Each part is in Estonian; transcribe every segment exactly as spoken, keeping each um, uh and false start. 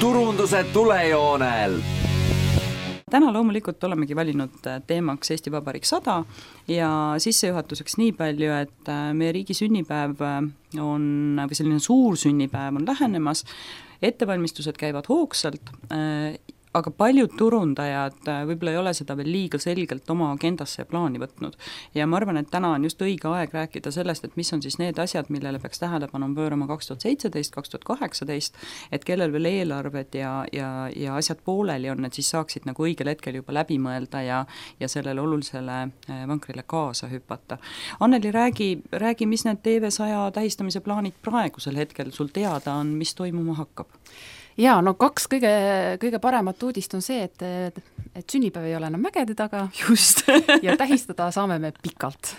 turunduse tulejoonel. Täna loomulikult olemegi valinud teemaks Eesti Vabariik sada ja sissejuhatuseks nii palju, et meie riigi sünnipäev on, või selline suur sünnipäev on lähenemas, ettevalmistused käivad hoogsalt, aga paljud turundajad võib-olla ei ole seda veel liiga selgelt oma agendasse ja plaani võtnud. Ja ma arvan, et täna on just õige aeg rääkida sellest, et mis on siis need asjad, millele peaks tähelepanu pöörama kaks tuhat seitseteist, kaks tuhat kaheksateist, et kellel veel eelarved ja, ja, ja asjad pooleli on, et siis saaksid nagu õigel hetkel juba läbi mõelda ja, ja sellele olulisele vankrile kaasa hüpata. Anneli, räägi, räägi, mis need T V saja tähistamise plaanid praegusel hetkel sul teada on, mis toimuma hakkab? Jaa, no kaks kõige, kõige paremat uudist on see, et, et sünnipäev ei ole enam mägede taga. Just. Ja tähistada saame me pikalt.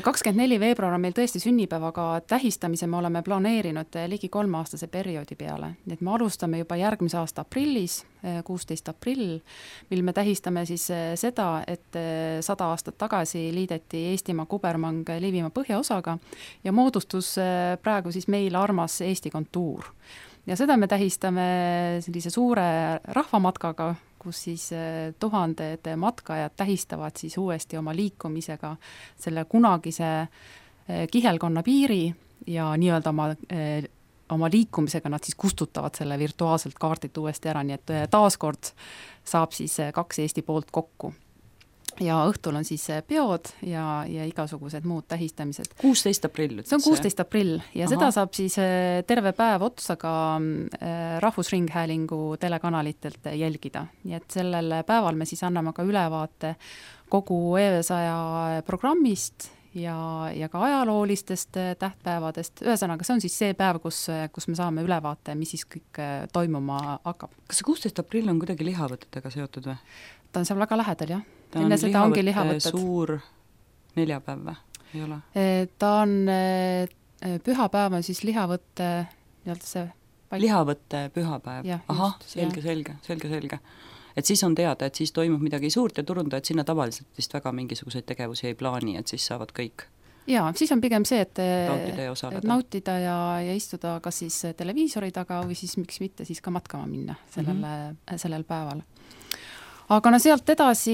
kakskümmend neli veebruar on meil tõesti sünnipäev, aga tähistamise me oleme planeerinud ligi kolmeaastase perioodi peale. Nii et me alustame juba järgmise aasta aprillis, kuusteist aprill, mil me tähistame siis seda, et sada aastat tagasi liideti Eestimaa kubermang Liivimaa põhjaosaga ja moodustus praegu siis meil armas Eesti kontuur. Ja seda me tähistame sellise suure rahvamatkaga, kus siis tuhanded matkajad tähistavad siis uuesti oma liikumisega selle kunagise kihelkonna piiri ja nii-öelda oma, oma liikumisega nad siis kustutavad selle virtuaalselt kaardilt uuesti ära, nii et taaskord saab siis kaks Eesti poolt kokku. Ja õhtul on siis peod ja, ja igasugused muud tähistamised. kuusteist aprill. See on kuusteist aprill ja Aha. seda saab siis terve päev otsa ka Rahvusringhäälingu telekanalitelt jälgida. Nii et sellel päeval me siis anname ka ülevaate kogu E V saja programmist ja, ja ka ajaloolistest tähtpäevadest. Ühesõnaga, see on siis see päev, kus, kus me saame ülevaate, mis siis kõik toimuma hakkab. Kas see kuusteist aprill on kuidagi lihavõtetega seotud või? Ta on seal väga lähedal, jah. Ta on lihavõtte lihavõtted. Suur neljapäev või? Ei ole? Ta on, pühapäev on siis lihavõtte, see paik... lihavõtte pühapäev. Ja, Aha, just, selge, selge, selge, selge. Et siis on teada, et siis toimub midagi suurt ja turundajad sinna tavaliselt vist väga mingisuguseid tegevusi ei plaani, et siis saavad kõik. Jaa, siis on pigem see, et nautida ja, et nautida ja, ja istuda kas siis televiisori taga või siis miks mitte siis ka matkama minna sellel, mm-hmm. sellel päeval. Aga no sealt edasi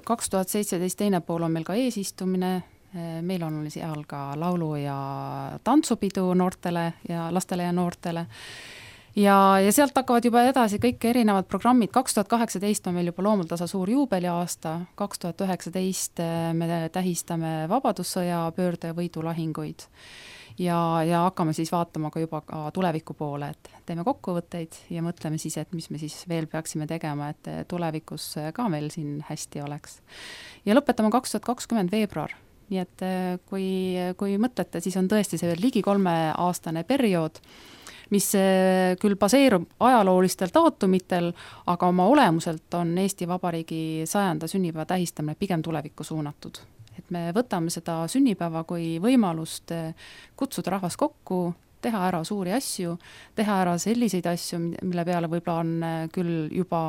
kaks tuhat seitseteist teine pool on meil ka eesistumine, meil on seal ka laulu ja tantsupidu noortele ja lastele ja noortele ja, ja sealt hakkavad juba edasi kõik erinevad programmid. kaks tuhat kaheksateist on meil juba Loomuldasa suur juubeliaasta, kaks tuhat üheksateist me tähistame Vabadussõja pöörde võidulahinguid ja, ja hakkame siis vaatama ka juba ka tuleviku poole, et teeme kokkuvõtteid ja mõtleme siis, et mis me siis veel peaksime tegema, et tulevikus ka meil siin hästi oleks. Ja lõpetame kaks tuhat kakskümmend veebruar, nii et kui, kui mõtlete, siis on tõesti see ligi kolmeaastane periood, mis küll baseerub ajaloolistel daatumitel, aga oma olemuselt on Eesti Vabariigi sajanda sünnipäeva tähistamine pigem tulevikku suunatud. Et me võtame seda sünnipäeva kui võimalust kutsuda rahvas kokku, teha ära suuri asju, teha ära selliseid asju, mille peale võib-olla on küll juba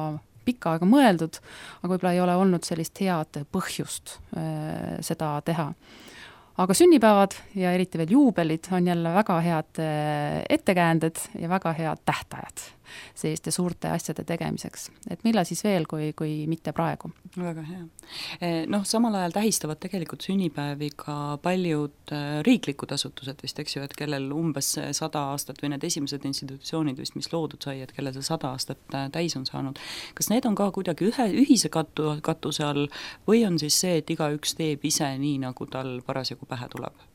pikka aega mõeldud, aga võib-olla ei ole olnud sellist head põhjust äh, seda teha. Aga sünnipäevad ja eriti veel juubelid on jälle väga head ettekäänded ja väga head tähtajad selliste suurte asjade tegemiseks. Et millal siis veel, kui, kui mitte praegu? Väga hea. Noh, samal ajal tähistavad tegelikult sünnipäevi ka paljud riiklikud asutused vist, eks ju, et kellel umbes sada aastat või need esimesed institutsioonid vist, mis loodud sai, et kellel see sada aastat täis on saanud. Kas need on ka kuidagi ühe, ühise katu, katuse all või on siis see, et igaüks teeb ise nii, nagu tal parasjagu pähe tuleb?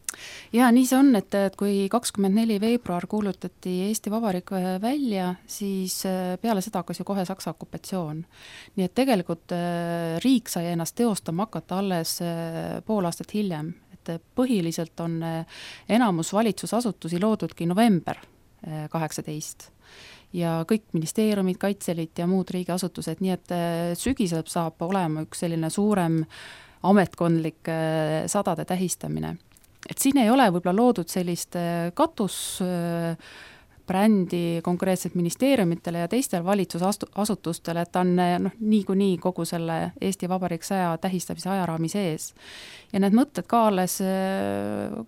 Ja nii see on, et, et kui kakskümmend neli veebruar kuulutati Eesti Vabariik välja, siis peale seda hakkas ju kohe Saksa okupatsioon. Nii et tegelikult riik sai ennast teostama hakata alles pool aastat hiljem. Et põhiliselt on enamus valitsusasutusi loodudki november kaheksateist ja kõik ministeeriumid, kaitseliit ja muud riigiasutused, nii et sügisel saab olema üks selline suurem ametkondlik sadade tähistamine. Et siin ei ole võib-olla loodud sellist katus brändi konkreetselt ministeeriumitele ja teistel valitsusasutustele, et ta on noh, niikuinii kogu selle Eesti Vabariik saja tähistamise ajaraami sees. Ja need mõtted ka alles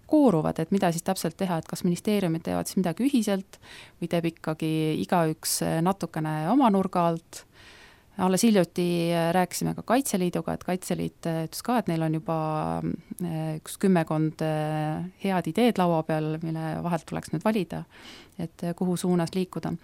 kooruvad, et mida siis täpselt teha, et kas ministeeriumid teevad siis midagi ühiselt või teeb ikkagi igaüks natukene oma nurga alt. Alles hiljuti rääkisime ka Kaitseliiduga, et Kaitseliit ütles ka, et neil on juba üks kümmekond head ideed laua peal, mille vahelt tuleks nüüd valida, et kuhu suunas liikuda.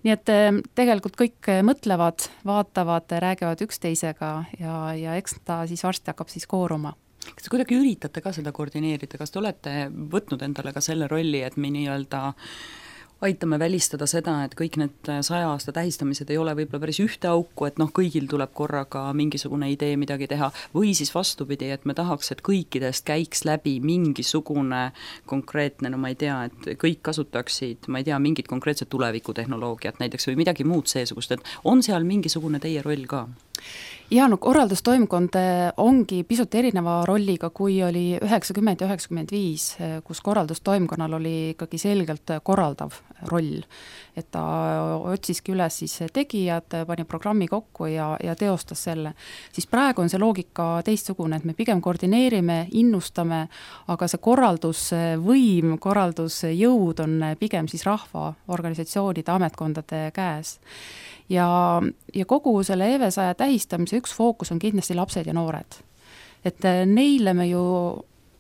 Nii et tegelikult kõik mõtlevad, vaatavad, räägivad üksteisega ja, ja eks ta siis varsti hakkab siis kooruma. Kas te kuidagi üritate ka seda koordineerida, kas te olete võtnud endale ka selle rolli, et me nii-öelda aitame välistada seda, et kõik need saja aasta tähistamised ei ole võib-olla päris ühte auku, et noh, kõigil tuleb korraga mingisugune idee midagi teha, või siis vastupidi, et me tahaks, et kõikidest käiks läbi mingisugune konkreetne, no ma ei tea, et kõik kasutaksid, ma ei tea, mingit konkreetset tulevikutehnoloogiat näiteks või midagi muud seesugust, et on seal mingisugune teie roll ka? Ja no korraldustoimkond ongi pisut erineva rolliga, kui oli üheksakümmend ja üheksakümmend viis, kus korraldustoimkonnal oli ikkagi selgelt korraldav roll. Et ta otsiski üles siis tegijad, pani programmi kokku ja, ja teostas selle. Siis praegu on see loogika teistsugune, et me pigem koordineerime, innustame, aga see korraldusvõim, korraldusjõud on pigem siis rahva, organisatsioonide, ametkondade käes. Ja, ja kogu selle E V saja tähistamise üks fookus on kindlasti lapsed ja noored. Et neile me ju,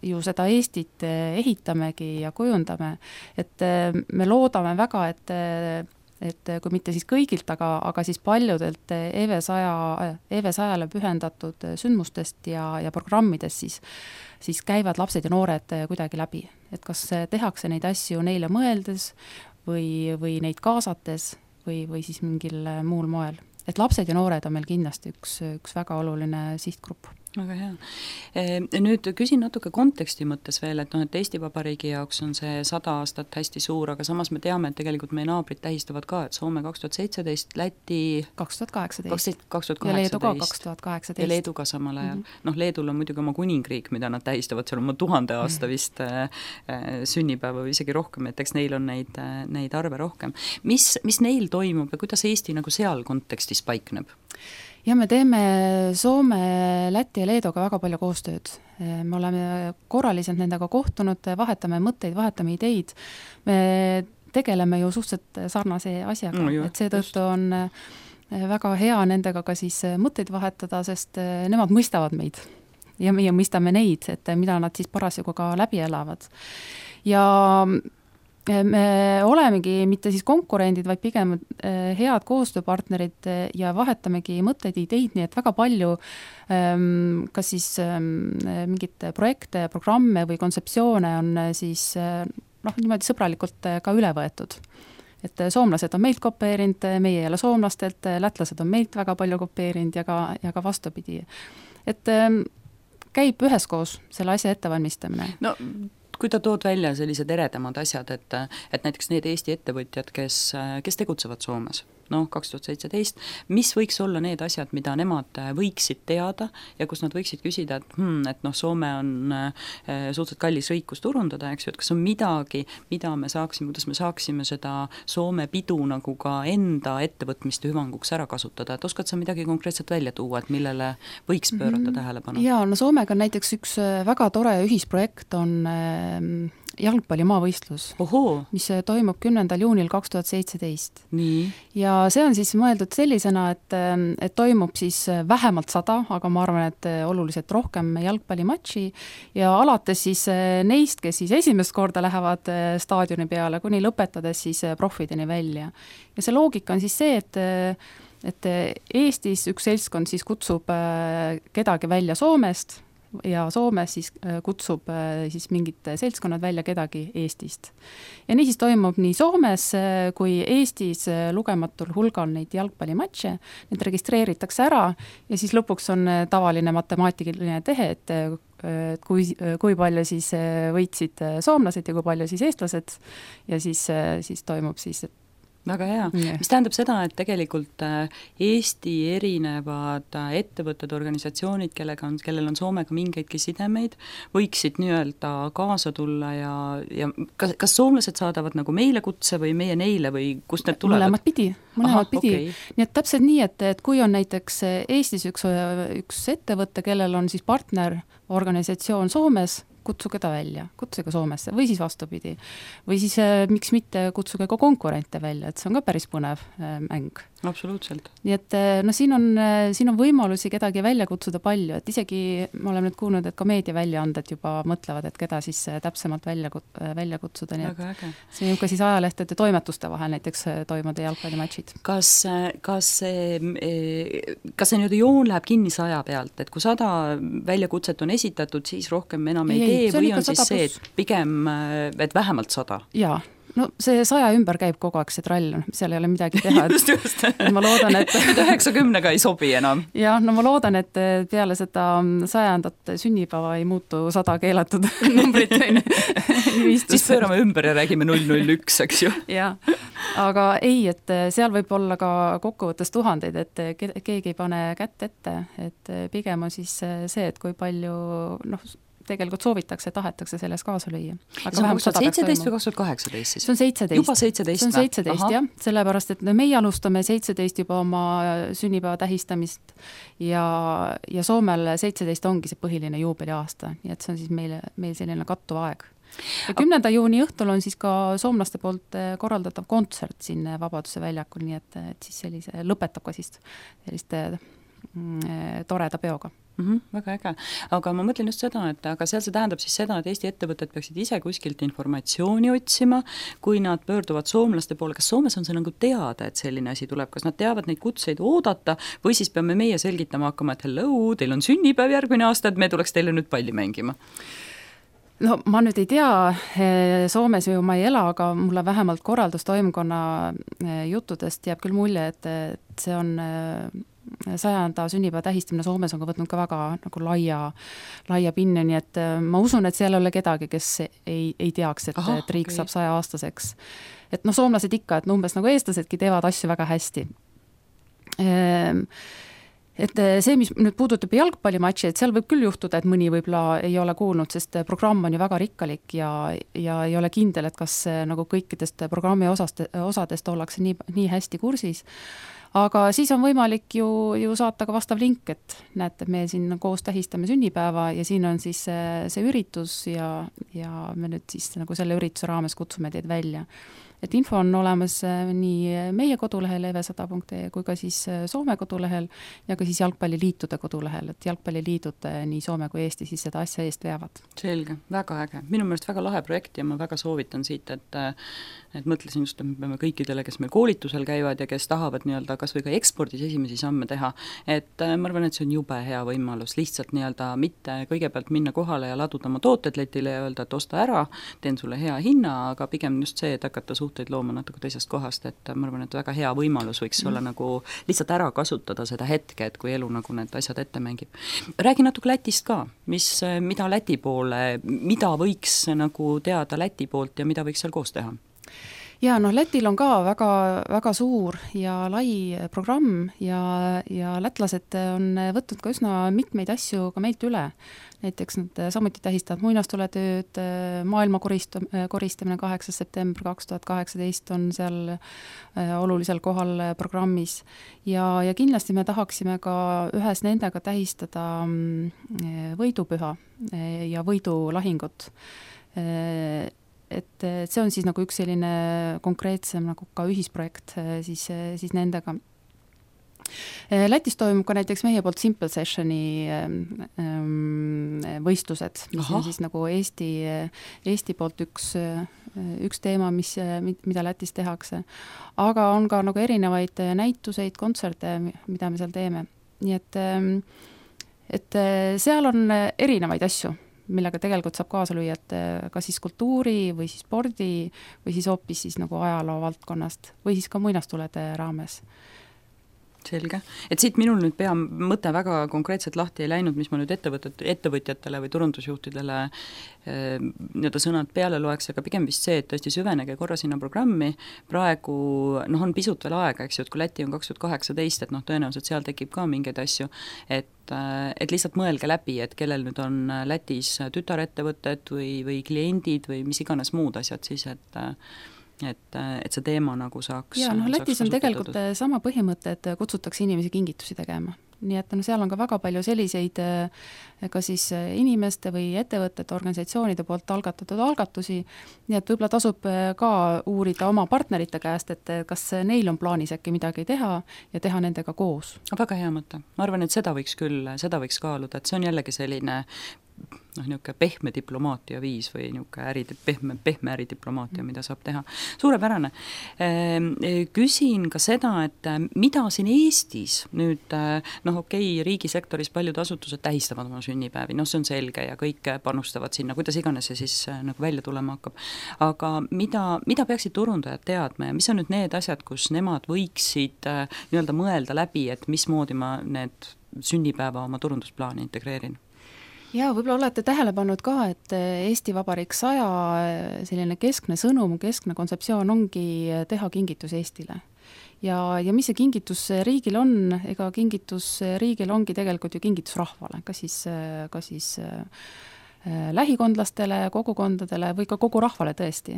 ju seda Eestit ehitamegi ja kujundame, et me loodame väga, et, et kui mitte siis kõigilt, aga, aga siis paljudelt E V saja, E V sajale pühendatud sündmustest ja, ja programmidest siis, siis käivad lapsed ja noored kuidagi läbi. Et kas tehakse neid asju neile mõeldes või, või neid kaasates, või, või siis mingil muul moel. Et lapsed ja noored on meil kindlasti üks, üks väga oluline sihtgrupp. Väga hea. Nüüd küsin natuke konteksti mõttes veel, et, no, et Eesti Vabariigi jaoks on see sada aastat hästi suur, aga samas me teame, et tegelikult meie naabrid tähistavad ka, et Soome kaks tuhat seitseteist, Läti kaks tuhat kaheksateist kaks tuhat kaheksateist ja Leedu ka kaks tuhat kaheksateist ja Leedu ka samal ajal. Mm-hmm. Noh, Leedul on muidugi oma kuningriik, mida nad tähistavad, seal on oma tuhande aasta vist mm-hmm. sünnipäeva või isegi rohkem, et eks neil on neid, neid arve rohkem. Mis, mis neil toimub ja kuidas Eesti nagu seal kontekstis paikneb? Ja me teeme Soome, Läti ja Leeduga väga palju koostööd. Me oleme korraliselt nendega kohtunud, vahetame mõtteid, vahetame ideid. Me tegeleme ju suhteliselt sarnase asjaga, no, et seetõttu on väga hea nendega ka siis mõtteid vahetada, sest nemad mõistavad meid ja meie mõistame neid, et mida nad siis parasjagu ka läbi elavad. Ja me olemegi mitte siis konkurendid, vaid pigem head koostööpartnerid ja vahetamegi mõtteid, ideid, nii et väga palju kas siis mingit projekte, programme või kontseptsioone on siis noh, niimoodi sõbralikult ka üle võetud. Et soomlased on meilt kopeerinud, meie jälle soomlastelt, lätlased on meilt väga palju kopeerinud ja ka, ja ka vastupidi. Et käib üheskoos selle asja ettevalmistamine. No kui ta tood välja sellised eredamad asjad, et, et näiteks need Eesti ettevõtjad, kes, kes tegutsevad Soomes, noh, kaks tuhat seitseteist, mis võiks olla need asjad, mida nemad võiksid teada ja kus nad võiksid küsida, et, hmm, et noh, Soome on suhteliselt kallis riik, kus turundada, eks ju, et kas on midagi, mida me saaksime, kuidas me saaksime seda Soome pidu nagu ka enda ettevõtmiste hüvanguks ära kasutada, et oskad sa midagi konkreetselt välja tuua, et millele võiks pöörata mm-hmm. tähelepanu? Jaa, no Soomega näiteks üks väga tore ühisprojekt on jalgpallimaavõistlus, Oho. mis toimub kümnendal juunil kaks tuhat seitseteist. Nii. Ja see on siis mõeldud sellisena, et, et toimub siis vähemalt sada, aga ma arvan, et oluliselt rohkem jalgpallimatši ja alates siis neist, kes siis esimest korda lähevad staadioni peale, kuni lõpetades siis profideni välja. Ja see loogika on siis see, et, et Eestis üks seltskond siis kutsub kedagi välja Soomest, ja Soomes siis kutsub siis mingid seltskonnad välja kedagi Eestist. Ja nii siis toimub nii Soomes kui Eestis lugematul hulgal neid jalgpallimatše, need registreeritakse ära ja siis lõpuks on tavaline matemaatiline tehe, et kui, kui palju siis võitsid soomlased ja kui palju siis eestlased ja siis, siis toimub siis väga hea yeah., mis tähendab seda, et tegelikult Eesti erinevad ettevõtted, organisatsioonid, kellega on, kellel on Soomega mingeidki sidemeid, võiksid nii-öelda kaasa tulla ja, ja kas, kas soomlased saadavad nagu meile kutse või meie neile või kust need tulevad? Mõlemad pidi, mõlemad pidi. Okay. Nii et täpselt nii, et, et kui on näiteks Eestis üks, üks ettevõte, kellel on siis partner organisatsioon Soomes, kutsuge ta välja, kutsuge Soomesse või siis vastupidi. Või siis miks mitte kutsuge ka konkurente välja, et see on ka päris põnev mäng. Absoluutselt. Nii et no siin on, siin on võimalusi kedagi välja kutsuda palju, et isegi me oleme nüüd kuulnud, et ka meediaväljaanded juba mõtlevad, et keda siis täpsemalt välja, välja kutsuda. Nii väga äge. See on ka siis ajalehtede toimetuste vahel näiteks toimuda jalgpallimatšid. Kas, kas see, kas see nüüd joon läheb kinni saja pealt, et kui sada väljakutset on esitatud, siis rohkem enam ei, ei tee või on siis see, et pigem, et vähemalt sada? Jaa. No see saja ümber käib kogu aeg see trall, seal ei ole midagi teha. just, just. Ma loodan, et üheksakümnega ei sobi enam. Jah, no ma loodan, et peale seda sajandat sünnipäeva ei muutu sada keelatud numbrit. siis pöörame ümber ja räägime null null üks, eks ju. Jah, aga ei, et seal võib olla ka kokkuvõttes tuhandeid, et keegi ei pane kätt ette, et pigem on siis see, et kui palju, noh, tegelikult soovitakse, tahetakse selles kaasa lüüa. See on kaks tuhat seitseteist või kaks tuhat kaheksateist siis? See on seitseteist. Juba seitseteist? See on seitseteist, jah. Sellepärast, et meie alustame seitseteist juba oma sünnipäeva tähistamist ja, ja Soomel seitseteist ongi see põhiline juubeliaasta, nii et see on siis meil, meil selline kattuv aeg. Ja kümnenda juuni õhtul on siis ka soomlaste poolt korraldatav kontsert siin Vabaduse väljakul, nii et, et siis sellise, lõpetab ka siis selliste mm, toreda peoga. Mm-hmm, väga äge, aga ma mõtlen just seda, et aga seal see tähendab siis seda, et Eesti ettevõtted peaksid ise kuskilt informatsiooni otsima, kui nad pöörduvad soomlaste poole, kas Soomes on see nagu teada, et selline asi tuleb, kas nad teavad neid kutseid oodata või siis peame meie selgitama hakkama, et hello, teil on sünnipäev järgmine aasta, et me tuleks teile nüüd palli mängima? No ma nüüd ei tea, Soomes ju ma ei ela, aga mulle vähemalt korraldustoimkonna juttudest jääb küll mulje, et, et see on sajanda sünnipäeva tähistamine Soomes on ka võtnud ka väga nagu laia, laia pinne, nii et ma usun, et seal ei ole kedagi, kes ei, ei teaks, et, Aha, et riik okay. saab saja aastaseks. Et noh, soomlased ikka, et umbes nagu eestlasedki teevad asju väga hästi. Et see, mis nüüd puudutab jalgpallimatši, et seal võib küll juhtuda, et mõni võib-olla ei ole kuulnud, sest programm on ju väga rikkalik ja, ja ei ole kindel, et kas nagu kõikidest programmi osast, osadest ollakse nii, nii hästi kursis. Aga siis on võimalik ju, ju saata ka vastav link, et näete, me siin koos tähistame sünnipäeva ja siin on siis see, see üritus ja, ja me nüüd siis nagu selle ürituse raames kutsume teid välja. Et info on olemas nii meie kodulehel evesada punkt ee kui ka siis Soome kodulehel ja ka siis jalgpalliliitude kodulehel, et jalgpalliliidud nii Soome kui Eesti siis seda asja eest veavad. Selge, väga äge. Minu meelest väga lahe projekt ja ma väga soovitan siit, et, et mõtlesin just, et me peame kõikidele, kes meil koolitusel käivad ja kes tahavad nii-öelda kas või ka ekspordis esimesi samme teha, et ma arvan, et see on jube hea võimalus lihtsalt nii-öelda mitte kõigepealt minna kohale ja laduda oma tooted letile ja öelda, et osta ära, teen sulle hea hinna, aga pigem just see, et hakata suhteid looma natuke teisest kohast, et ma arvan, et väga hea võimalus võiks mm. olla nagu lihtsalt ära kasutada seda hetke, et kui elu nagu need asjad ette mängib. Räägi natuke Lätist ka, mis, mida Läti poole, mida võiks nagu teada Läti poolt ja mida võiks seal koos teha? Ja noh, Lätil on ka väga, väga suur ja lai programm ja, ja lätlased on võtnud ka üsna mitmeid asju ka meilt üle. Näiteks nad samuti tähistavad muinastuletööd, maailma koristamine kaheksas september kaks tuhat kaheksateist on seal olulisel kohal programmis ja, ja kindlasti me tahaksime ka ühes nendega tähistada võidupüha ja võidulahingut. Et see on siis nagu üks selline konkreetsem nagu ka ühisprojekt siis, siis nendega. Lätis toimub ka näiteks meie poolt Simple Sessioni võistlused, mis Aha. on siis nagu Eesti, Eesti poolt üks, üks teema, mis, mida Lätis tehakse. Aga on ka nagu erinevaid näituseid, kontserte, mida me seal teeme. Nii et, et seal on erinevaid asju, millega tegelikult saab kaasa lüüa, et kas siis kultuuri või siis spordi või siis hoopis siis nagu ajaloo valdkonnast või siis ka muinastulede raames. Selge, et siit minul nüüd pea mõte väga konkreetselt lahti ei läinud, mis ma nüüd ettevõtet, ettevõtjatele või turundusjuhtidele eh, nii-öelda sõnad peale loeks, aga pigem vist see, et tõesti süvenege korra sinna programmi, praegu noh, on pisut veel aega, eks ju, et kui Läti on kaks tuhat kaheksateist, et noh, tõenäoliselt seal tekib ka mingeid asju, et et lihtsalt mõelge läbi, et kellel nüüd on Lätis tütarettevõtted või, või kliendid või mis iganes muud asjad siis, et et, et see teema nagu saaks ja noh, Lätis on tegelikult sama põhimõte, et kutsutakse inimesi kingitusi tegema. Nii et no seal on ka väga palju selliseid ka siis inimeste või ettevõtete, organisatsioonide poolt algatatud algatusi, nii et võib-olla tasub ka uurida oma partnerite käest, et kas neil on plaanis äkki midagi teha ja teha nendega koos. Väga hea mõte. Ma arvan, et seda võiks küll, seda võiks kaaluda, et see on jällegi selline noh, niisugune pehme diplomaatia viis või niisugune äri, pehme, pehme äridiplomaatia, mida saab teha. Suurepärane. Küsin ka seda, et mida siin Eestis nüüd, noh okei, riigisektoris paljud asutused tähistavad oma sünnipäevi, noh see on selge ja kõik panustavad sinna, kuidas iganes see siis nagu välja tulema hakkab. Aga mida, mida peaksid turundajad teadma ja mis on nüüd need asjad, kus nemad võiksid nii-öelda mõelda läbi, et mismoodi ma need sünnipäeva oma turundusplaani integreerin? Ja võib-olla olete tähele pannud ka, et Eesti Vabariik saja selline keskne sõnum, keskne kontseptsioon ongi teha kingitus Eestile. Ja, ja mis see kingitus riigil on, ega kingitus riigil ongi tegelikult ju kingitus rahvale, ka siis, ka siis lähikondlastele, kogukondadele või ka kogu rahvale tõesti.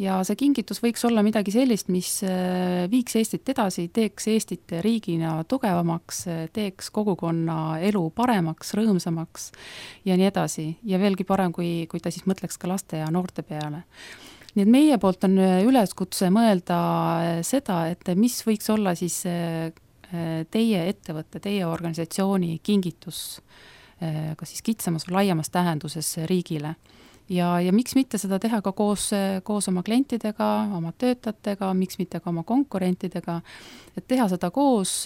Ja see kingitus võiks olla midagi sellist, mis viiks Eestit edasi, teeks Eestit riigina tugevamaks, teeks kogukonna elu paremaks, rõõmsamaks ja nii edasi. Ja veelgi parem, kui, kui ta siis mõtleks ka laste ja noorte peale. Nii et meie poolt on üleskutse mõelda seda, et mis võiks olla siis teie ettevõtte, teie organisatsiooni kingitus ka siis kitsamas või laiemas tähenduses riigile. Ja, ja miks mitte seda teha ka koos, koos oma klientidega, oma töötajatega, miks mitte ka oma konkurentidega, et teha seda koos,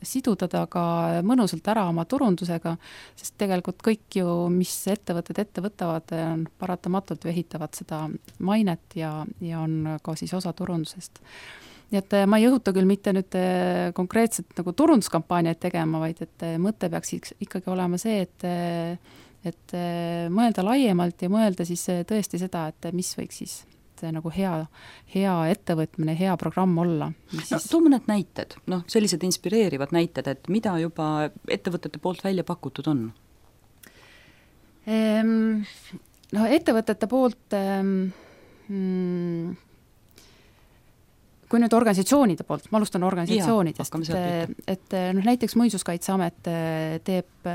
siduda ta ka mõnusalt ära oma turundusega, sest tegelikult kõik ju, mis ettevõtted ette võtavad, paratamatult ehitavad seda mainet ja, ja on ka siis osa turundusest. Nii et ma ei õhuta küll mitte nüüd konkreetselt nagu turunduskampaaniaid tegema, vaid et mõte peaks ikkagi olema see, et, et mõelda laiemalt ja mõelda siis tõesti seda, et mis võiks siis see nagu hea, hea ettevõtmine, hea programm olla. No, too mõned näited, noh, sellised inspireerivad näited, et mida juba ettevõtete poolt välja pakutud on? Ehm, no ettevõtete poolt mm, kui nüüd organisatsioonide poolt, ma alustan organisatsioonidest, et, et noh, näiteks Muinsuskaitseamet teeb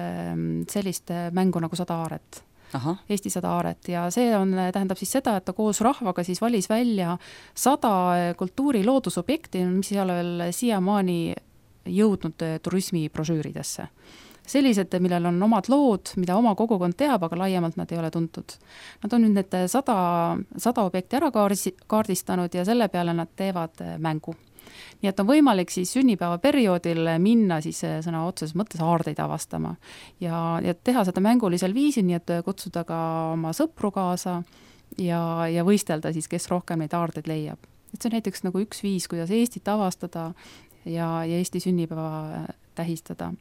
sellist mängu nagu sada aaret, Aha. Eesti sada aaret ja see on, tähendab siis seda, et ta koos rahvaga siis valis välja sada kultuuri loodusobjekti, mis ei ole veel siiamaani jõudnud turismibrošüüridesse. Sellised, millel on omad lood, mida oma kogukond teab, aga laiemalt nad ei ole tuntud. Nad on nüüd need sada, sada objekti ära kaardistanud ja selle peale nad teevad mängu. Nii et on võimalik siis sünnipäeva perioodil minna siis sõna otseses mõttes aardeid avastama ja, ja teha seda mängulisel viisil, nii et kutsuda ka oma sõpru kaasa ja, ja võistelda siis, kes rohkem neid aardeid leiab. Et see on näiteks nagu üks viis, kuidas Eestit avastada ja, ja Eesti sünnipäeva tähistada.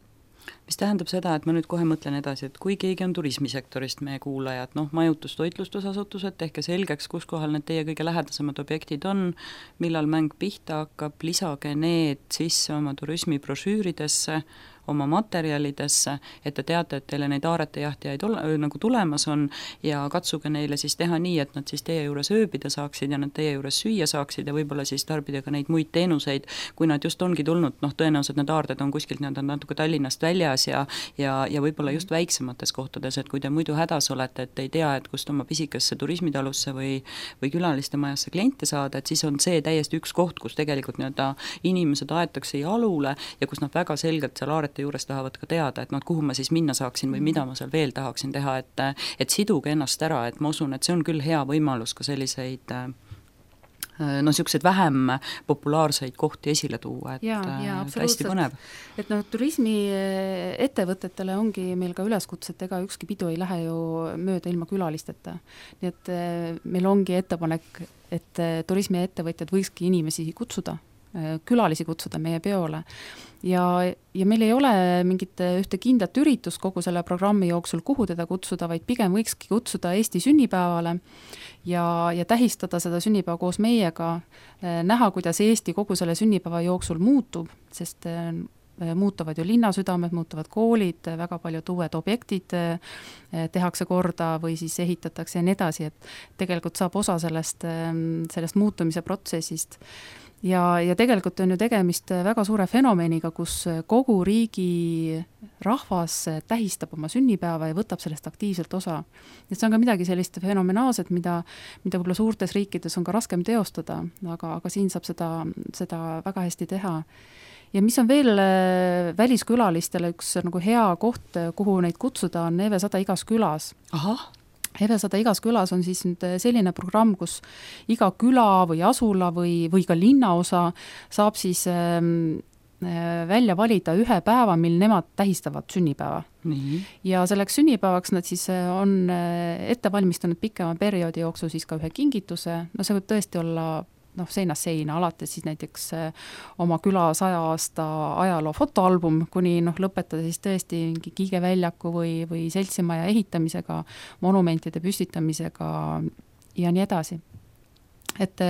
Mis tähendab seda, et ma nüüd kohe mõtlen edasi, et kui keegi on turismisektorist meie kuulajad, noh, majutus, toitlustusasutused, tehke selgeks, kus kohal need teie kõige lähedasemad objektid on, millal mäng pihta hakkab, lisage need sisse oma turismibrošüüridesse, oma materjalidesse, et te teate, et teile neid aarete jahtijaid ole, nagu tulemas on ja katsuge neile siis teha nii, et nad siis teie juures ööbida saaksid ja nad teie juures süüa saaksid ja võib-olla siis tarbida ka neid muid teenuseid, kui nad just ongi tulnud, noh, tõenäoliselt need aarded on kuskilt nad on natuke Tallinnast väljas ja, ja, ja võib-olla just väiksemates kohtades, et kui te muidu hädas olete, et ei tea, et kust oma pisikesse turismitalusse või, või külaliste majasse kliente saada, et siis on see täiesti üks koht, kus tegelikult nii-öelda inimesed aetakse jalule ja kus nad väga selgelt seal aarete juures tahavad ka teada, et noh, kuhu ma siis minna saaksin või mida ma seal veel tahaksin teha, et, et siduge ennast ära, et ma usun, et see on küll hea võimalus ka selliseid no niisuguseid vähem populaarseid kohti esile tuua, et ja, ja, hästi põnev. Et noh, turismi ettevõtetele ongi meil ka üleskutset, ega ükski pidu ei lähe ju mööda ilma külalisteta. Nii et meil ongi ettepanek, et turismi ettevõtjad võikski inimesi kutsuda külalisi kutsuda meie peole. Ja, ja meil ei ole mingit ühte kindlat üritust kogu selle programmi jooksul, kuhu teda kutsuda, vaid pigem võikski kutsuda Eesti sünnipäevale ja, ja tähistada seda sünnipäeva koos meiega, näha, kuidas Eesti kogu selle sünnipäeva jooksul muutub, sest muutuvad ju linnasüdamed, muutuvad koolid, väga paljud uued objektid tehakse korda või siis ehitatakse ja nii edasi, et tegelikult saab osa sellest, sellest muutumise protsessist. Ja, ja tegelikult on ju tegemist väga suure fenomeniga, kus kogu riigi rahvas tähistab oma sünnipäeva ja võtab sellest aktiivselt osa. Et see on ka midagi sellist fenomenaalset, mida, mida võib-olla suurtes riikides on ka raskem teostada, aga, aga siin saab seda, seda väga hästi teha. Ja mis on veel väliskülalistele üks nagu hea koht, kuhu neid kutsuda, on Eve sada igas külas. Ahah. Eve sada igas külas on siis nüüd selline programm, kus iga küla või asula või, või ka linnaosa saab siis äh, välja valida ühe päeva, mil nemad tähistavad sünnipäeva. Nii. Ja selleks sünnipäevaks nad siis on ette valmistanud pikema perioodi jooksul siis ka ühe kingituse, no see võib tõesti olla noh, seinast seina, alates siis näiteks oma küla saja aasta ajaloo fotoalbum, kuni noh, lõpetada siis tõesti Kiige väljaku või, või seltsimaja ehitamisega, monumentide püstitamisega ja nii edasi. Et,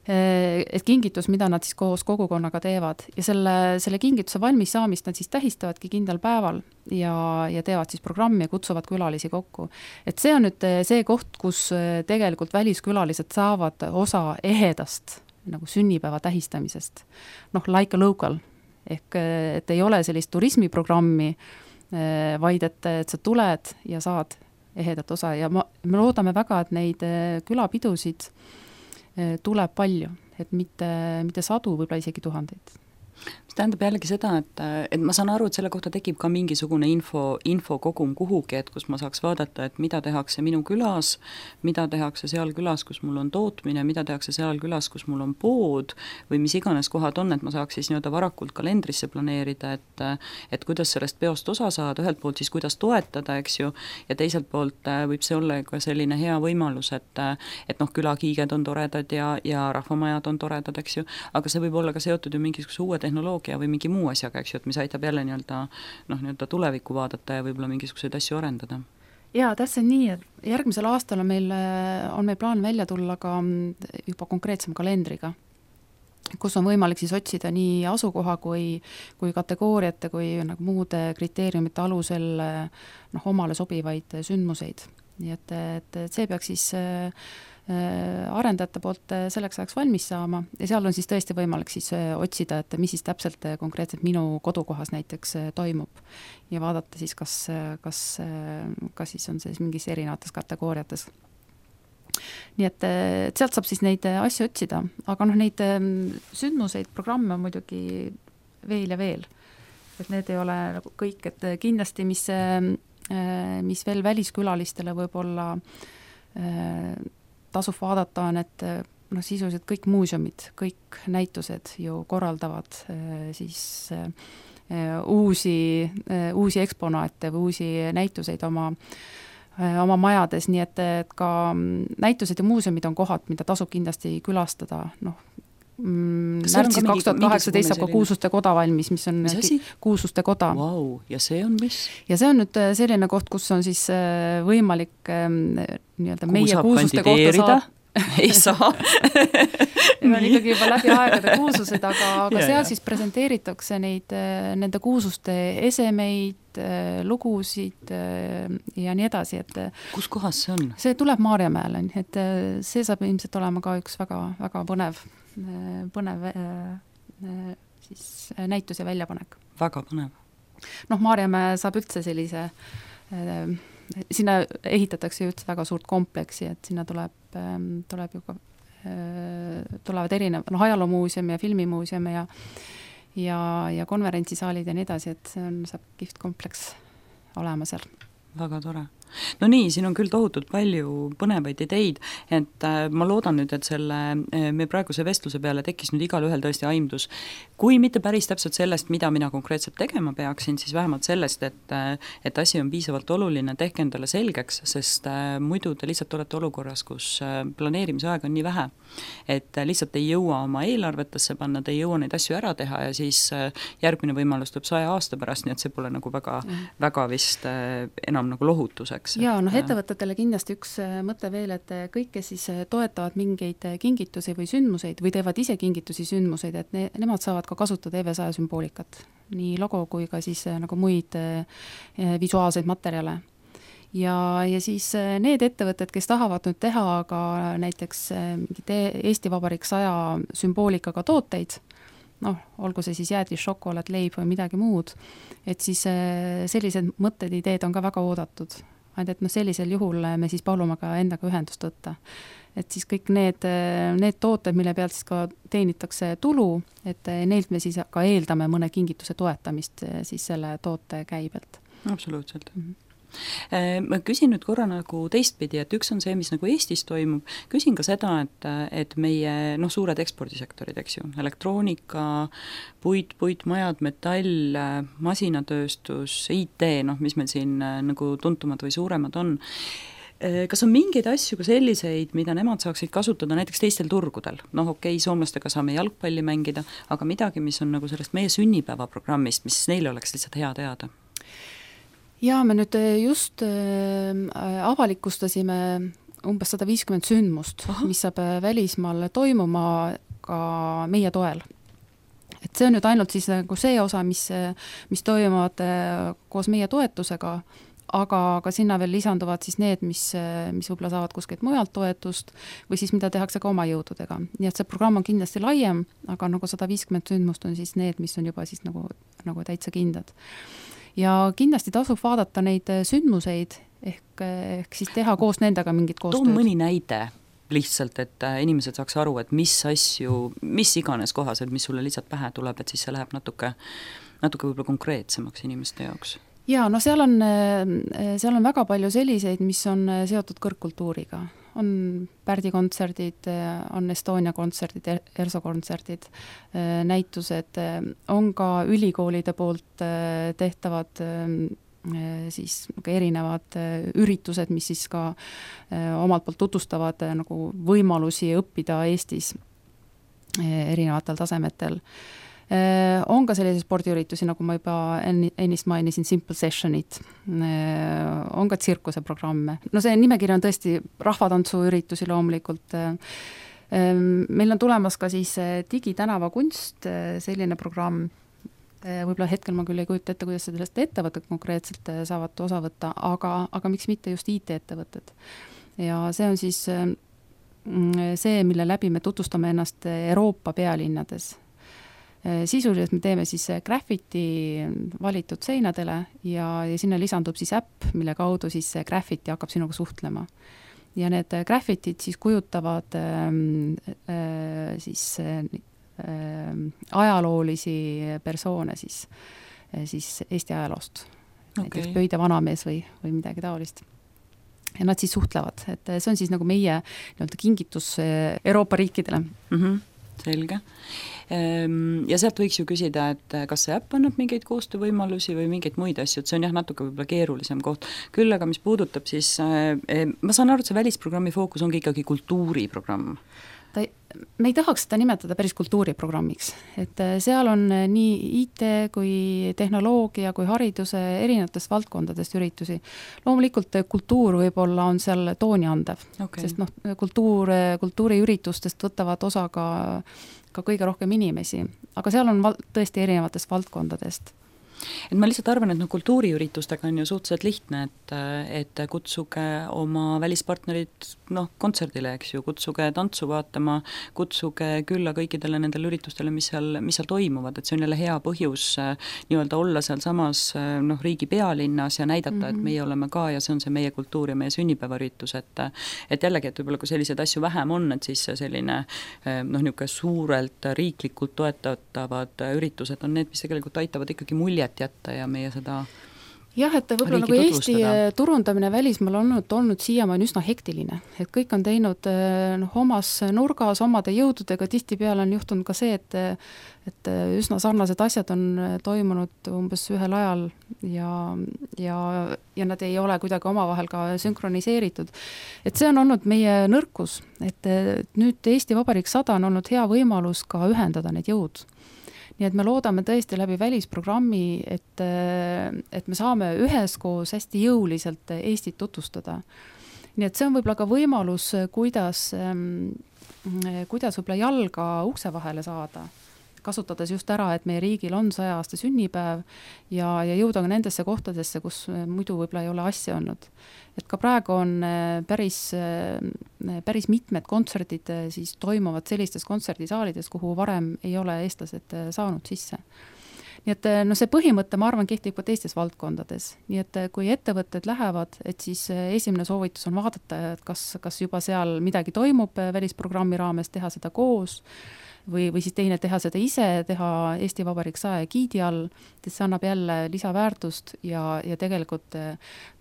et kingitus, mida nad siis koos kogukonnaga teevad ja selle, selle kingituse valmis saamist nad siis tähistavadki kindlal päeval ja, ja teevad siis programmi ja kutsuvad külalisi kokku. Et see on nüüd see koht, kus tegelikult väliskülalised saavad osa ehedast nagu sünnipäeva tähistamisest. Noh, like a local. Ehk et ei ole sellist turismiprogrammi, vaid et, et sa tuled ja saad ehedat osa ja ma, me loodame väga, et neid külapidusid tuleb palju, et mitte, mitte sadu, võib-olla isegi tuhandeid. mis tähendab jällegi seda, et, et ma saan aru, et selle kohta tekib ka mingisugune info, info kogum kuhugi, et kus ma saaks vaadata, et mida tehakse minu külas, mida tehakse seal külas, kus mul on tootmine, mida tehakse seal külas, kus mul on pood või mis iganes kohad on, et ma saaks siis nii-öelda varakult kalendrisse planeerida, et, et kuidas sellest peost osa saada, ühelt poolt siis kuidas toetada, eks ju, ja teiselt poolt võib see olla ka selline hea võimalus, et, et noh, külakiiged on toredad ja, ja rahvamajad on toredad, eks ju, aga see võib olla ka seotud ju mingisuguse uue tehnoloogia või mingi muu asjaga, eks ju, et mis aitab jälle nii-öelda, noh, nii-öelda tulevikku vaadata ja võib-olla mingisuguseid asju arendada. Jaa, täpselt nii, et järgmisel aastal on meil, on meil plaan välja tulla ka juba konkreetsem kalendriga, kus on võimalik siis otsida nii asukoha kui, kui kategooriate kui nagu muude kriteeriumite alusel noh, omale sobivaid sündmuseid. Nii et, et see peaks siis arendajate poolt selleks ajaks valmis saama ja seal on siis tõesti võimalik siis otsida, et mis siis täpselt konkreetselt minu kodukohas näiteks toimub ja vaadata siis, kas, kas, kas siis on see mingis erinevates kategooriates. Nii et, et sealt saab siis neid asju otsida, aga noh, neid sündmuseid, programme on muidugi veel ja veel. Et need ei ole nagu kõik, et kindlasti mis, mis veel väliskülalistele võib-olla tasub vaadata on, et noh, sisuliselt kõik muuseumid, kõik näitused ju korraldavad siis uusi, uusi eksponaate või uusi näituseid oma, oma majades, nii et, et ka näitused ja muuseumid on kohad, mida tasub kindlasti külastada, noh, märtsis kaks tuhat kaheksateist saab ka Kuulsuste koda valmis, mis on Kuulsuste koda. Wow, ja see on mis? Ja see on nüüd selline koht, kus on siis võimalik nii-öelda meie Kuulsuste kohta saab. Ei saa. ja on ikkagi juba läbi aegade kuulsused, aga, aga seal siis presenteeritakse neid, nende kuulsuste esemeid, lugusid ja nii edasi. Et kus kohas see on? See tuleb Maarjamäele, et see saab ilmselt olema ka üks väga, väga põnev, põnev siis näitus ja väljapanek. Väga põnev. Noh, Maarjamäe saab üldse sellise sinna ehitatakse üldse väga suurt kompleksi, et sinna tuleb, tuleb ju ka, tulevad erinev, noh, ajaloomuuseum ja filmimuuseum ja, ja, ja konverentsisaalid ja nii edasi, et see on, saab kihvt kompleks olema seal. Väga tore. no nii, siin on küll tohutult palju põnevaid ideid, et ma loodan nüüd, et selle me praeguse vestluse peale tekkis nüüd igal ühel tõesti aimdus, kui mitte päris täpselt sellest, mida mina konkreetselt tegema peaksin, siis vähemalt sellest, et, et asi on piisavalt oluline, tehke endale selgeks, sest muidu te lihtsalt olete olukorras, kus planeerimise aega on nii vähe, et lihtsalt ei jõua oma eelarvetesse panna, te ei jõua neid asju ära teha ja siis järgmine võimalus tuleb saja aasta pärast, nii et see pole nagu väga, mm. väga vist enam nagu lohutuseks. Jaa, noh ettevõtetele kindlasti üks mõte veel, et kõik, kes siis toetavad mingeid kingitusi või sündmuseid või teevad ise kingitusi sündmuseid, et ne, nemad saavad ka kasutada E V saja sümboolikat, nii logo kui ka siis nagu muid visuaalseid materjale. Ja, ja siis need ettevõtted, kes tahavad nüüd teha ka näiteks Eesti Vabariik saja sümboolikaga tooteid, noh, olgu see siis jäätis, šokolaad, leib või midagi muud, et siis sellised mõtted, ideed on ka väga oodatud. Ainult, et noh, sellisel juhul me siis palume ka endaga ühendust võtta. Et siis kõik need, need tooted, mille pealt siis ka teenitakse tulu, et neilt me siis ka eeldame mõne kingituse toetamist siis selle toote käibelt. Absoluutselt. Mm-hmm. Ma küsin nüüd korra nagu teistpidi, et üks on see, mis nagu Eestis toimub, küsin ka seda, et, et meie noh, suured ekspordisektorid, eks ju, elektroonika, puit, puitmajad, metall, masinatööstus, I T, noh, mis meil siin nagu tuntumad või suuremad on, kas on mingeid asju ka selliseid, mida nemad saaksid kasutada näiteks teistel turgudel? Noh, okei, soomlastega saame jalgpalli mängida, aga midagi, mis on nagu sellest meie sünnipäevaprogrammist, mis neile oleks lihtsalt hea teada? Jaa, me nüüd just äh, avalikustasime umbes sada viiskümmend sündmust, Aha. mis saab välismaal toimuma ka meie toel. Et see on nüüd ainult siis nagu see osa, mis, mis toimuvad koos meie toetusega, aga ka sinna veel lisanduvad siis need, mis, mis võib-olla saavad kuskilt mujalt toetust või siis mida tehakse ka oma jõududega. Nii et see programm on kindlasti laiem, aga nagu sada viiskümmend sündmust on siis need, mis on juba siis nagu, nagu täitsa kindlad. Ja kindlasti tasub vaadata neid sündmuseid, ehk, ehk siis teha koos nendega mingit koostööd. Too mõni näide lihtsalt, et inimesed saaks aru, et mis asju, mis iganes kohas, et mis sulle lihtsalt pähe tuleb, et siis see läheb natuke, natuke võib-olla konkreetsemaks inimeste jaoks. Jaa, no seal on, seal on väga palju selliseid, mis on seotud kõrgkultuuriga. On Pärdi kontserdid, on Estonia kontserdid, Erso kontserdid, näitused, on ka ülikoolide poolt tehtavad siis erinevad üritused, mis siis ka omalt poolt tutvustavad nagu võimalusi õppida Eestis erinevatel tasemetel. On ka sellise spordiüritusi, nagu ma juba ennist mainisin, Simple Sessionid, on ka tsirkuse programme. No see nimekiri on tõesti rahvatantsuüritusi loomulikult. Meil on tulemas ka siis digitänava kunst, selline programm, võib-olla hetkel ma küll ei kujuta ette, kuidas sellest ettevõtted konkreetselt saavad osa võtta, aga, aga miks mitte just I T-ettevõtted. Ja see on siis see, mille läbi me tutvustame ennast Euroopa pealinnades. Sisuliselt me teeme siis graffiti valitud seinadele ja, ja sinna lisandub siis äpp, mille kaudu siis see graffiti hakkab sinuga suhtlema. Ja need graffitid siis kujutavad äh, siis äh, ajaloolisi persoone siis, siis Eesti ajaloost. Okay. Näiteks Pöide vanamees või, või midagi taolist. Ja nad siis suhtlevad, et see on siis nagu meie nii-öelda kingitus Euroopa riikidele. Mhm. Selge. Ja sealt võiks ju küsida, et kas see äpp annab mingeid koostöövõimalusi või mingeid muid asju, et see on jah natuke võib-olla keerulisem koht. Küll aga mis puudutab siis, ma saan aru, et see välisprogrammi fookus ongi ikkagi kultuuriprogramm. Ta, me ei tahaks seda nimetada päris kultuuriprogrammiks, et seal on nii I T kui tehnoloogia kui hariduse erinevatest valdkondadest üritusi. Loomulikult kultuur võib-olla on seal tooni andev, okay. Sest noh, kultuur, kultuuriüritustest võtavad osa ka, ka kõige rohkem inimesi, aga seal on val- tõesti erinevatest valdkondadest. Et ma lihtsalt arvan, et no kultuuriüritustega on ju suhteliselt lihtne, et, et kutsuge oma välispartnerid noh, kontserdile, eks ju, kutsuge tantsu vaatama, kutsuge külla kõikidele nendele üritustele, mis seal, mis seal toimuvad, et see on jälle hea põhjus nii-öelda olla seal samas noh, riigi pealinnas ja näidata, mm-hmm. et meie oleme ka ja see on see meie kultuur ja meie sünnipäevaüritus, et, et jällegi, et võib-olla kui selliseid asju vähem on, et siis selline noh, niisugune suurelt riiklikult toetatavad üritused on need, mis tegelikult aitavad ikkagi mulje jätta ja meie seda jah, et võib-olla nagu Eesti turundamine välismaal on olnud, olnud siiamaani üsna hektiline, et kõik on teinud noh, omas nurgas, omade jõududega, tihtipeale on juhtunud ka see, et et üsna sarnased asjad on toimunud umbes ühel ajal ja, ja, ja nad ei ole kuidagi omavahel ka sünkroniseeritud. Et see on olnud meie nõrkus, et nüüd Eesti Vabariik sada on olnud hea võimalus ka ühendada need jõud. Nii et me loodame tõesti läbi välisprogrammi, et, et me saame üheskoos hästi jõuliselt Eestit tutvustada. Nii et see on võib-olla ka võimalus, kuidas, kuidas võib-olla jalga ukse vahele saada, kasutades just ära, et meie riigil on saja aasta sünnipäev ja, ja jõuda ka nendesse kohtadesse, kus muidu võib-olla ei ole asja olnud. Et ka praegu on päris, päris mitmed kontserdid siis toimuvad sellistes kontserdisaalides, kuhu varem ei ole eestlased saanud sisse. Nii et no see põhimõte, ma arvan, kehtib ka teistes valdkondades. Nii et kui ettevõtted lähevad, et siis esimene soovitus on vaadata, et kas, kas juba seal midagi toimub välisprogrammi raames, teha seda koos, või, või siis teine teha seda ise, teha Eesti Vabariik saja giidi all, et see annab jälle lisaväärtust ja, ja tegelikult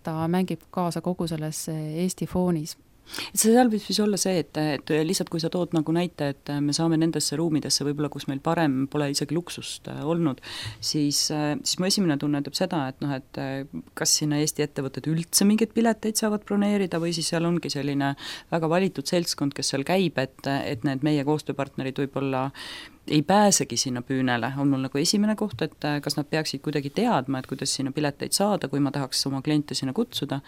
ta mängib kaasa kogu selles Eesti foonis. Et see seal võib siis olla see, et, et lihtsalt kui sa tood nagu näite, et me saame nendesse ruumidesse võib-olla, kus meil parem pole isegi luksust olnud, siis, siis mu esimene tunne ütleb seda, et noh, et kas sinna Eesti ettevõtted üldse mingeid pileteid saavad broneerida või siis seal ongi selline väga valitud seltskond, kes seal käib, et, et need meie koostööpartnerid võib-olla ei pääsegi sinna püünele, on mul nagu esimene koht, et kas nad peaksid kuidagi teadma, et kuidas sinna pileteid saada, kui ma tahaks oma kliente sinna kutsuda.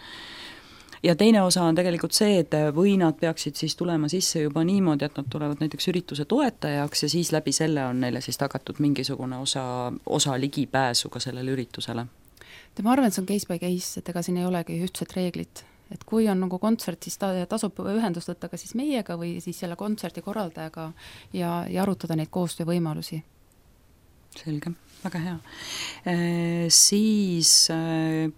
Ja teine osa on tegelikult see, et või nad peaksid siis tulema sisse juba niimoodi, et nad tulevad näiteks ürituse toetajaks ja siis läbi selle on neile siis tagatud mingisugune osa, osa ligipääsu ka sellele üritusele. Ma arvan, et see on case by case, et ega siin ei olegi ühtset reeglit. Et kui on nagu kontsert, siis ta tasub ühendust võtta ka siis meiega või siis selle kontserti korraldajaga ja, ja arutada neid koostöövõimalusi. Selge, väga hea. E, siis... E,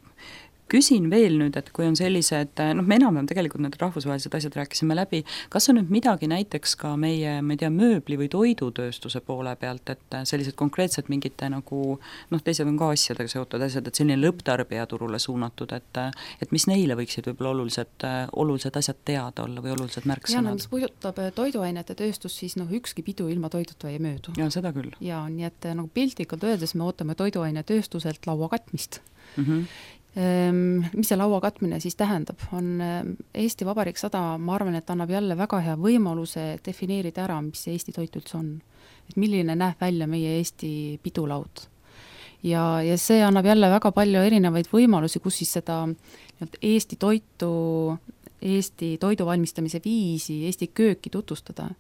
küsin veel nüüd, et kui on sellised, noh me enam-vähem tegelikult need rahvusvahelised asjad rääkisime läbi, kas on nüüd midagi näiteks ka meie, ma ei tea, mööbli või toidutööstuse poole pealt, et sellised konkreetsed mingite nagu, noh teised on ka asjadega seotud asjad, et selline lõpptarbija turule suunatud, et, et mis neile võiksid võib-olla olulised, olulised asjad teada olla või olulised märksõnad? Ja, no mis puudutab toiduainete tööstus, siis noh ükski pidu ilma toiduta ei möödu. Ja, seda küll. Ja, nii et nagu piltlikult öeldes me ootame toiduainetööstuselt laua katmist. Mhm. Mis see laua katmine siis tähendab, on Eesti Vabariik sada, ma arvan, et annab jälle väga hea võimaluse defineerida ära, mis see Eesti toit üldse on. Et milline näeb välja meie Eesti pidulaud. Ja, ja see annab jälle väga palju erinevaid võimalusi, kus siis seda Eesti toitu, Eesti toidu valmistamise viisi, Eesti kööki tutvustada.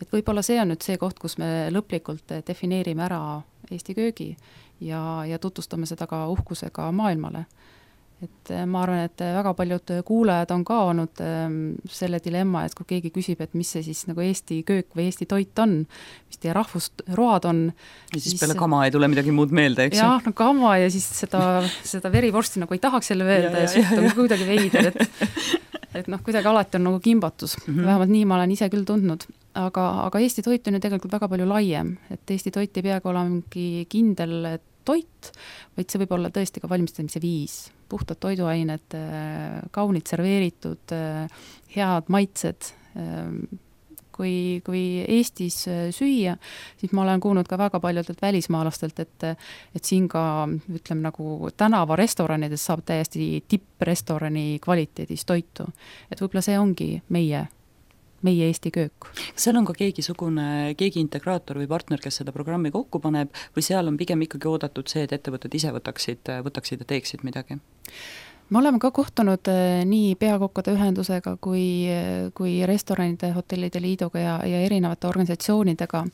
Et võib-olla see on nüüd see koht, kus me lõplikult defineerime ära Eesti köögi ja, ja tutvustame seda ka uhkusega maailmale. Et ma arvan, et väga paljud kuulajad on ka olnud selle dilemma, et kui keegi küsib, et mis see siis nagu Eesti köök või Eesti toit on, mis teie rahvusroad on. Ja siis, siis peale kama ei tule midagi muud meelde, eks? Jah, no kama ja siis seda, seda verivorsti nagu ei tahaks jälle öelda ja, ja, ja suht on kuidagi veider, et, et noh, kuidagi alati on nagu kimbatus. Mm -hmm. Vähemalt nii ma olen ise küll tundnud. Aga, aga Eesti toit on ju tegelikult väga palju laiem, et Eesti toit ei peagi olema mingi kindel toit, vaid see võib olla tõesti ka valmistamise viis. Puhtad toiduained, kaunid serveeritud, head maitsed. Kui, kui Eestis süüa, siis ma olen kuulnud ka väga paljudelt välismaalastelt, et, et siin ka, ütleme nagu tänava restoranides saab täiesti tipprestorani kvaliteedis toitu. Et võib-olla see ongi meie meie Eesti köök. Seal on ka keegi sugune, keegi integraator või partner, kes seda programmi kokku paneb või seal on pigem ikkagi oodatud see, et ettevõtted ise võtaksid, võtaksid ja teeksid midagi? Me oleme ka kohtunud nii peakokkade ühendusega kui, kui restoranide, hotellide liiduga ja, ja erinevate organisatsioonidega.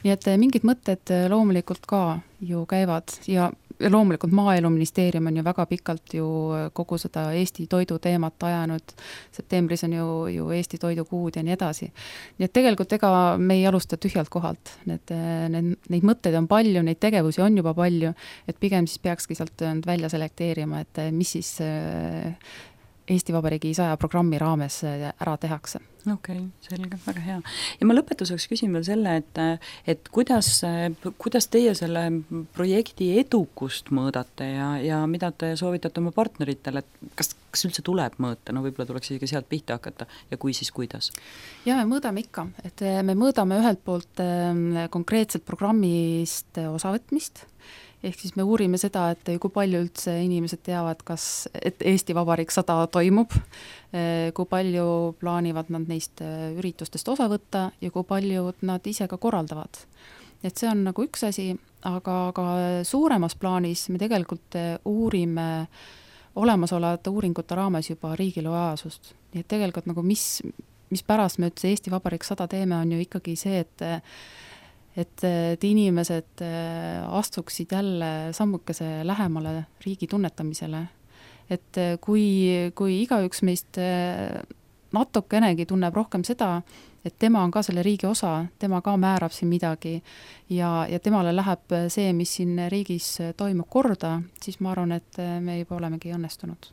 Nii et mingid mõtted loomulikult ka ju käivad ja loomulikult Maaeluministeerium on ju väga pikalt ju kogu seda Eesti toidu teemat ajanud. Septembris on ju, ju Eesti toidukuud ja nii edasi. Nii et tegelikult ega me ei alusta tühjalt kohalt. Need, need, neid mõtteid on palju, neid tegevusi on juba palju, et pigem siis peakski sealt välja selekteerima, et mis siis Eesti Vabariigi saja programmi raames ära tehakse. Okei, okay, selge, väga hea. Ja ma lõpetuseks küsin veel selle, et, et kuidas, kuidas teie selle projekti edukust mõõdate ja, ja mida te soovitate oma partneritele, et kas, kas üldse tuleb mõõta, no võib-olla tuleks isegi sealt pihta hakata ja kui, siis kuidas? Ja me mõõdame ikka, et me mõõdame ühelt poolt konkreetselt programmist osavõtmist, ehk siis me uurime seda, et kui palju üldse inimesed teavad, kas, et Eesti Vabariik sada toimub, kui palju plaanivad nad neist üritustest osa võtta ja kui palju nad ise ka korraldavad. Et see on nagu üks asi, aga ka suuremas plaanis me tegelikult uurime olemasolevate uuringute raames juba riigi lojaalsust. Nii et tegelikult nagu mis, mis pärast me üldse Eesti Vabariik sada teeme, on ju ikkagi see, et et, et inimesed astuksid jälle sammukese lähemale riigi tunnetamisele. Et kui, kui igaüks meist natukenegi tunneb rohkem seda, et tema on ka selle riigi osa, tema ka määrab siin midagi ja, ja temale läheb see, mis siin riigis toimub korda, siis ma arvan, et me juba olemegi õnnestunud.